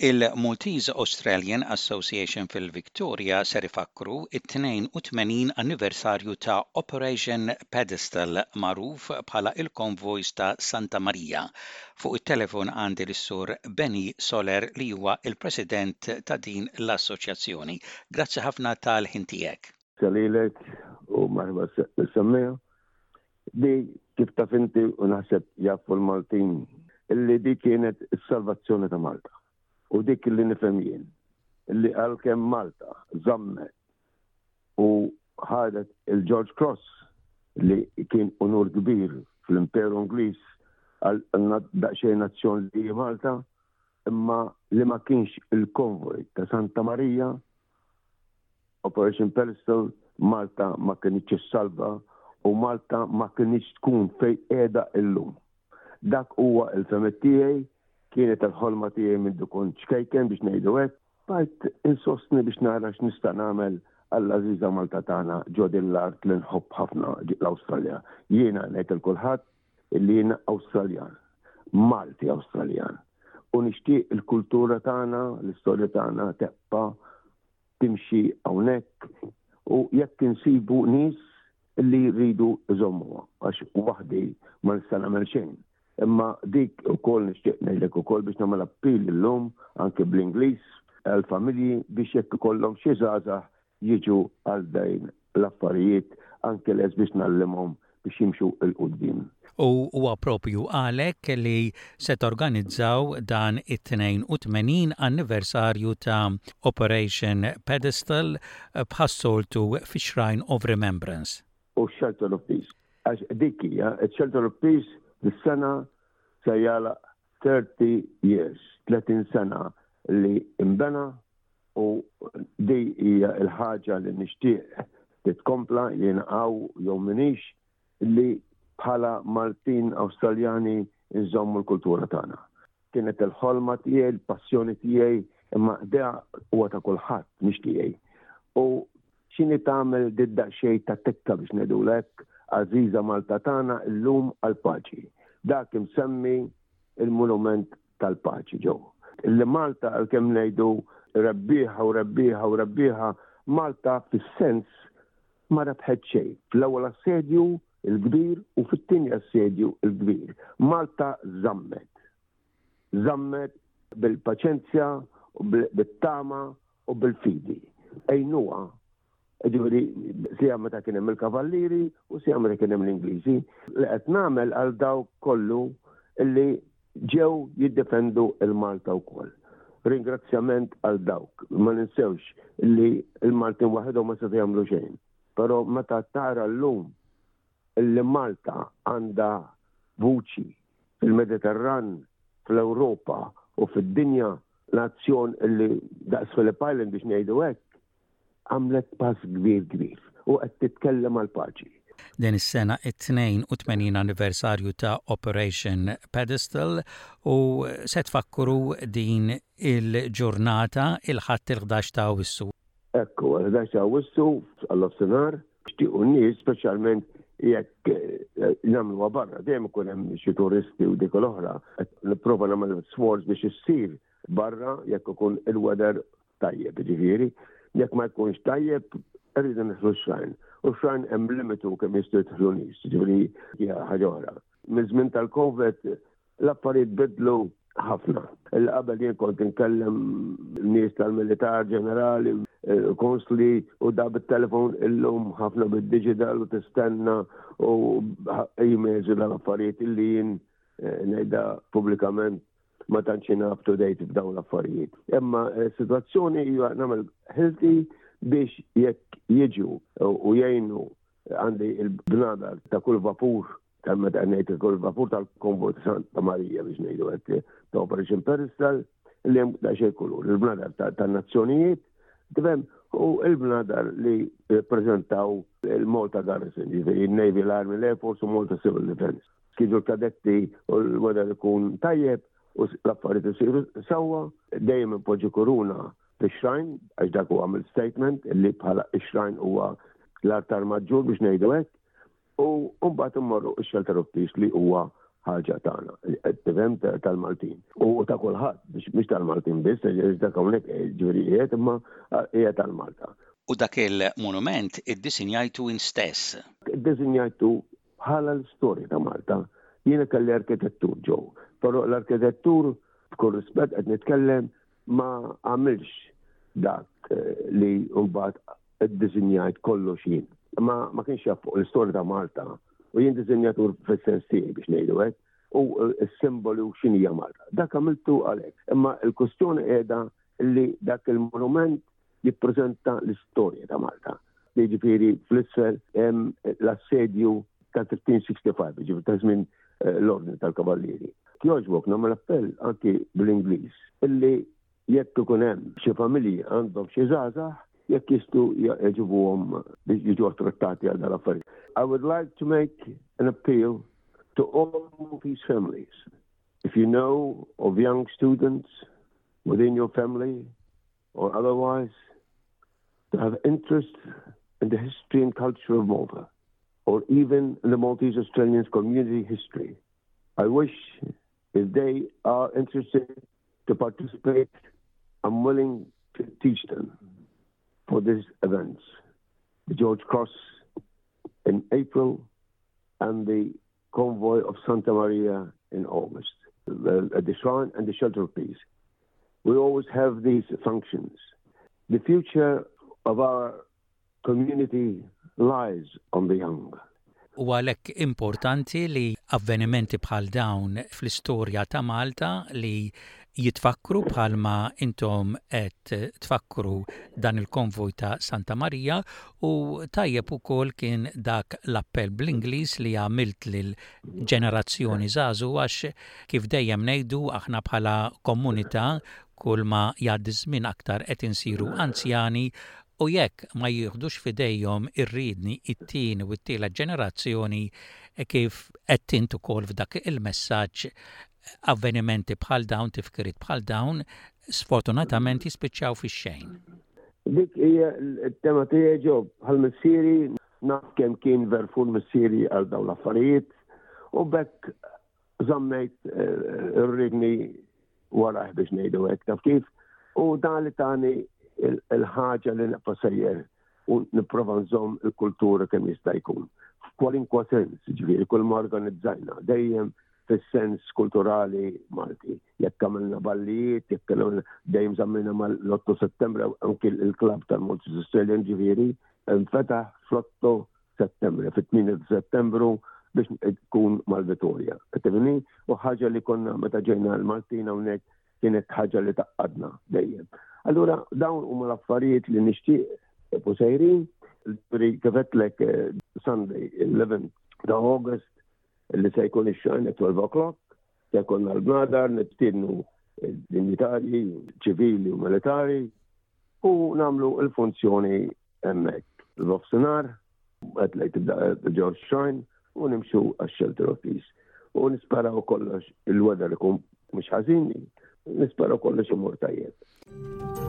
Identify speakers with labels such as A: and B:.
A: Il-Maltese Australian Association fil-Victoria ser ifakkru it-82 anniversarju ta' Operation Pedestal magħruf bħala il-Konvojs ta' Santa Marija. Fuq it-telefon għandi lis-Sur Benny Soler li huwa il-President ta' din l-assoċjazzjoni. Grazzi ħafna tal-ħin tiegħek.
B: Salilek u marħba s-semmiegħa. Di kif taf inti u naħseb jafu l-Maltin illi di kienet is-salvazzjoni ta' Malta. U dik li nifhem jien illi għalkemm Malta żammet u ħadet il-George Cross li kien unur kbir fl-Imperu Ingliż għal daqsxejn nazzjon li Malta, imma li ma kienx il-konvoj ta' Santa Marija Operation Pedestal, Malta ma kinitx issalva u Malta ma kinitx tkun fejn qiegħda illum. Dak huwa l-fehmiet tiegħi, kienet il-ħolma tiegħi mindu kont ċkejken biex ngħidu hekk. Bqajt insostni biex nara x'nista' nagħmel għall-għażiża Malta tagħna ġo din l-art li nħobb ħafna l-Awstralja. Jiena ngħid il kulħadd illi jiena Awstraljan, Malti Awstraljan. U nixtieq il-kultura tagħna, l-istorja tagħna tebqa' timxi hawnhekk u jekk insibu nies li jridu jżommuha għax waħdi ma nista' nagħmel xejn. Imma dik ukoll nixtieq ngħidlek ukoll biex nagħmel appell illum anke bl-Ingliż għall-familji biex jekk ikollhom xi żgħażagħ jiġu għal dawn l-affarijiet anke lest biex ngħallimhom biex jimxu 'l quddiem.
A: U huwa proprju għalhekk li se torganizzaw dan it-82 anniversarju ta' Operation Pedestal bħas-soltu fix-Shrine of Remembrance.
B: U x-Shelter of Peace. Għax dik hija, ix-Shelter of Peace dis-sena se jagħlaq 30 years, 30 sena li imbena u di hija l-ħaġa li nixtieq titkompla jien hawn jew minix li bħala Maltin Awstraljani nżommu l-kultura tagħna. Kienet il-ħolma tiegħi, il-passjoni tiegħi, imma da huwa ta' kulħadd mhix tiegħi. U x'inhi tagħmel did-daqsxejn ta' tekka biex ngħidulek għażiża Malta tagħna llum għall-paċi. Dak imsemmi il-monument tal-paċi ġew. Li Malta għalkemm ngħidu rebbieħa u rebbieħa u rebbieħa, Malta fis-sens ma rebħet xejn. Fl-ewwel assedju il-kbir u fit-tieni assedju il-kbir. Malta żammet. Żammet bil-paċenzja, bit-tama u bil-fidi. Għinuha Ġifieri sija meta kien hemm il-kavallieri u sija meta kien hemm l-Ingliżi li qed nagħmel għal dawk kollu li ġew jiddefendu il-Malta wkoll. Ringrazzjament għal dawk. Ma ninsewx li l-Maltin waħedhom ma setgħu jagħmlu xejn. Però meta tara llum li Malta għandha vuċi fil-Mediterran, fl-Ewropa u fid-dinja, nazzjon li daqs Phillip Island biex ngħidu hekk, għamlet pass kbir kbir u
A: qed
B: titkellem għall-paċi.
A: Din is-sena it-82 anniversarju ta' Operation Pedestal u se tfakkru din il-ġurnata il-Ħadd il-11 ta' Awwissu.
B: Ekku, il-11 ta' Awwissu għall-nofsinhar xtiequ n-nies speċjalment jekk eh, nagħmluha barra, dejjem ikun hemm xi turisti u dik l-oħra, nipprova nagħmel sforz biex issir barra jekk ikun il-weather tajjeb, ġifieri, jekk ma jkunx tajjeb, irridu nidħlu x-xrajn. U x-xrajn hemm limitu kemm jistgħu jidħlu nies, ġifieri hija ħaġa oħra. Miż-żmien tal-COVID l-affarijiet bidlu ħafna. Il qabel jien kont inkellem nies tal-militar ġenerali, eh, konsli u da bit-telefon illum ħafna bid-digital u tistenna u emails u dal-affarijiet illi jien eh, ngħidha pubblikament ma tantx jiena up to date f'dawn l-affarijiet. Imma s-sitwazzjoni hija nagħmel ħilti biex jekk jiġu u jgħinu għandi il-bnadar ta' kull vapur ta' meta ngħid kull vapur tal-konvoj ta' Santa Marija biex ngħidu hekk ta' Operation Pedestal li hemm daqsxejn kulur, il-bnadar tan-nazzjonijiet, tifhem, u il-bnadar li rappreżentaw il-Malta Garrison, ġifieri il-Navy, l-Army, l-Air Force u Malta Civil Defence. Kienu l-kadetti u l-weather ikun tajjeb u l-affarijiet isiru sewwa, dejjem inpoġġi kuruna fix-shrine għax dak huwa għamil statement li bħala x-shrine huwa l-altar maġġur biex ngħidu hekk u mbagħad immorru x-shelter of peace li huwa ħaġa tagħna. tifhem tal-Maltin. U ta' kulħadd, biex mhux tal-Maltin biss, dak hawnhekk ġifieri qiegħed imma hija tal-Malta.
A: U dak il-monument iddisinjajtu int stess?
B: Iddisinjajtu bħala l-istorja ta' Malta. Jiena kelli arkitettur ġew, però l-arkitettur b'kull rispett qed nitkellem ma għamilx dak eh, li mbagħad iddisinjajt kollox jien. Ma, ma kienx jaf fuq l-istorja ta' Malta u jien disinjatur fis-sens tiegħi biex ngħidu hekk u eh, s-simboli u x'inhija Malta. Dak għamiltu għalhekk. Imma l-kwestjoni qiegħda li dak il-monument jippreżenta l-istorja ta' Malta. Jiġifieri fl-isfel hemm l-assedju ta' 1365, ġifieri ta' żmien eh, l-Ordni tal-Kavallieri. Jogħġbok nagħmel appell anki bl-Ingliż illi jekk ikun hemm xi familji għandhom xi żgħażagħ jekk jistgħu jġibuhom biex jiġu attrattati għal dal-affarijiet. I would like to make an appeal to all Maltese families. If you know of young students within your family or otherwise to have interest in the history and culture of Malta, or even in the Maltese Australians community history. I wish if they are interested to participate, I'm willing to teach them for these events. The George Cross in April and the Convoy of Santa Maria in August, the, the shrine and the shelter of peace. We always have these functions. The future of our community lies on the young.
A: U għalhekk importanti li avvenimenti bħal dawn fl-istorja ta' Malta li jitfakkru bħalma intom qed tfakkru dan il-konvoj ta' Santa Marija u tajjeb ukoll kien dak l-appell bl-Ingliż li għamilt lil ġenerazzjoni żagħżugħa għax kif dejjem ngħidu aħna bħala komunità kull ma jgħaddi ż-żmien aktar qed insiru anzjani u jekk ma jieħdux f'idejhom ir-riedni it-tieni u t-tielet ġenerazzjoni kif għedt int ukoll f'dak il-messaġġ avvenimenti bħal dawn, tifkiriet bħal dawn, sfortunatament jispiċċaw fix-xejn.
B: Dik hija t-tema tiegħi ġo bħal missieri naf kemm kien verfur missieri għal dawn l-affarijiet u bekk żammejt eh, ir-rigni warajh biex ngħidu hekk taf kif u dan li tani il-ħaġa li nibqa' sejjer u nipprova nżomm il-kultura kemm jista' jkun. F'kwalinkwa sens, ġifieri kull ma organizzajna, dejjem fis-sens kulturali Malti. Jekk għamilna ballijiet, jekk għamilna dejjem żammejna mal-8 Settembru anki il-klabb tal-Maltese Australian ġifieri nfetaħ fl-8 Settembru, fit-8 Settembru biex tkun mal-Vitorja. Tifhimni? U ħaġa li konna meta ġejna l-Maltin hawnhekk kienet ħaġa li taqqadna dejjem. Allura dawn huma l-affarijiet li nixtieq u sejrin, kif għedtlek eh, Sunday 11 ta' August li se jkun ix-xajn at 12 o'clock, se jkun l-bnadar, nistiednu dinjitarji, ċivili u militari, u namlu il-funzjoni hemmhekk. L-offsinar, qed lejn tibda George Shrine u nimxu għax-Shelter of Peace. U nisperaw kollox il-weather ikun mhux ħażin, nisperaw kollox imur tajjeb.